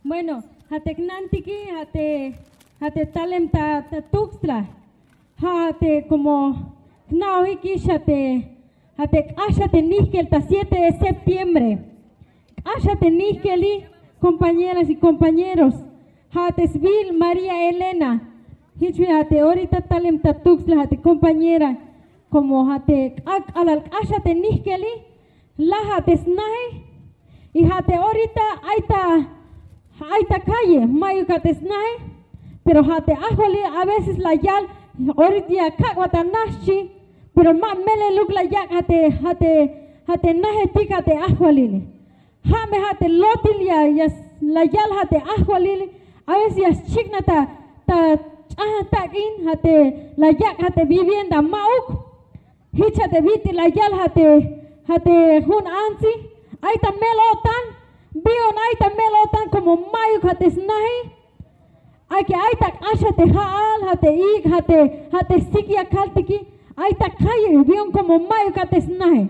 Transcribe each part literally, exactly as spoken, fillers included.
Bueno, ja' te jnantiki, ja' te, ja' te talem ta, ta Tuxtla. Ja' te como jna'ojikix ja' te, ja' te k'ax ja' te nijkel ta siete de septiembre. K'ax ja' te nijkeli, compañeras y compañeros. Ja' te sbiil María Elena. Jich ja' te orita talem ta Tuxtla ja' te compañera. Como ja' te k'ak' k'alal k'ax ja' te nijkeli, laj ja' te snaje. Y ja' te orita ay ta, ay ta calle, ma'yuk ja' te snaje. Pero ja' te ajwalil a veces la yal, orita ya kak'bat ta na xchi. Pero ma meleluk la yak' ja' te, ja' te, ja' te najetik ja' te ajwalil. Ja' me ja' te lotil ya, ya s-, la yal ja' te ajwalil. A veces ya xchiknaj ta, ta ch'ajan tak'in ja' te la yak' ja' te vivienda ma'uk. Jich ja' te bit'il la yal ja' te, ja' te jun antsi. Ay ta mel-o'tan. Bi yu'un ay ta mel-o'tan como ma'yuk ja' te snaje. Ay que ay ta k'ax ja' te ja'al, ja' te ik', ja' te, ja' te sik ya kaltiki. Ay ta calle, bi yu'un como ma'yuk ja' te snaje.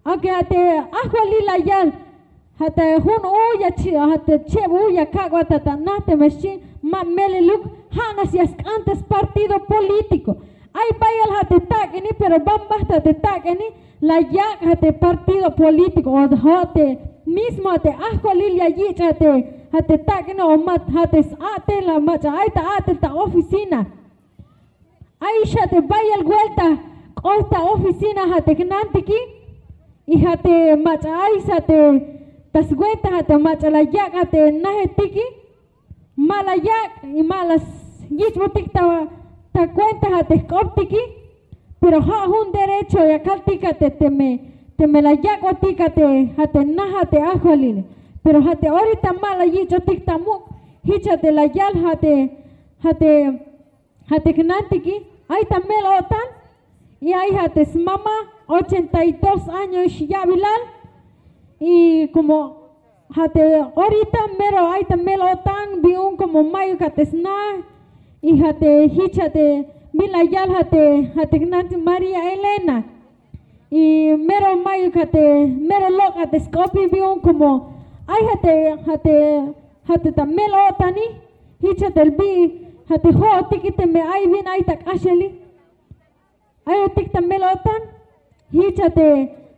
Aunque ja' te ajwalil la yal, ja' te jun u ya chi-, ja' te cheb u ya kak'bat ta, ta na teme xchi, ma meleluk, ja' nax ya sk'an te spartido político. Ay bayal ja' te tak'ini, pero ban bajt ja' te tak'ini la yak' ja' te partido político o ja' te mismo ja' te ajwalil ya yich' ja' te, ja' te tak'ini o ma ja' te s-a'tel, la mach'a ay ta a'tel ta oficina. Ay xa te bayal vuelta k'ot ta oficina ja' te jnantiki. Y ja' te mach'a ay xa te ta swenta ja' te mach'a la yak' ja' te najetiki. Ma la yak' y ma la yich'botik ta, ta cuenta ja' te jk'optiki. Pero ja' jun derecho ya kaltik ja' te teme, teme la yak'botik ja' te, ja' te na ja' te ajwalil. Pero ja' te orita ma la yich'otik ta muk', jich ja' te la yal ja' te, ja' te, ja' te jnantiki, ay ta mel-o'tan. Y ay ja' te smama, ochenta y dos años ya'bilal. Y como ja' te orita mero ay ta mel-o'tan, bi yu'un como ma'yuk ja' te sna. Y ja' te jich ja' te bin la yal ja' te, ja' te jnantiki María Elena. Y mero ma'yuk ja' te, mero lok' ja' te sk'opin, bi yu'un como ay ja' te, ja' te, ja' te ta mel-o'tani. Jich ja' te bi, ja' te jo'otiki teme ay bin ay ta k'axeli. Ayotik ta mel-o'tan. Jich ja' te,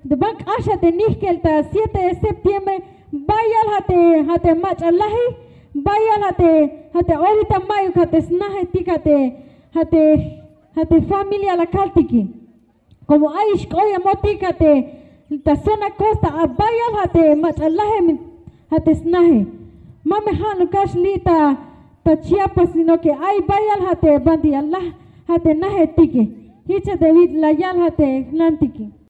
te ban k'ax ja' te nijkel ta siete de septiembre, bayal ja' te, ja' te mach'a laji, bayal ja' te, ja' te orita ma'yuk ja' te snajetik ja' te, ja' te, ja' te familia la kaltiki. Como ay ix k'oyemotik ja' te ta zona costa, a bayal ja' te mach'a lajem ja' te snaje. Ma me ja' nakax li' ta, ta Chiapas, sino que ay bayal ja' te banti ya laj ja' te najetike. Jich ja' te bit'il la yal ja' te jnantike.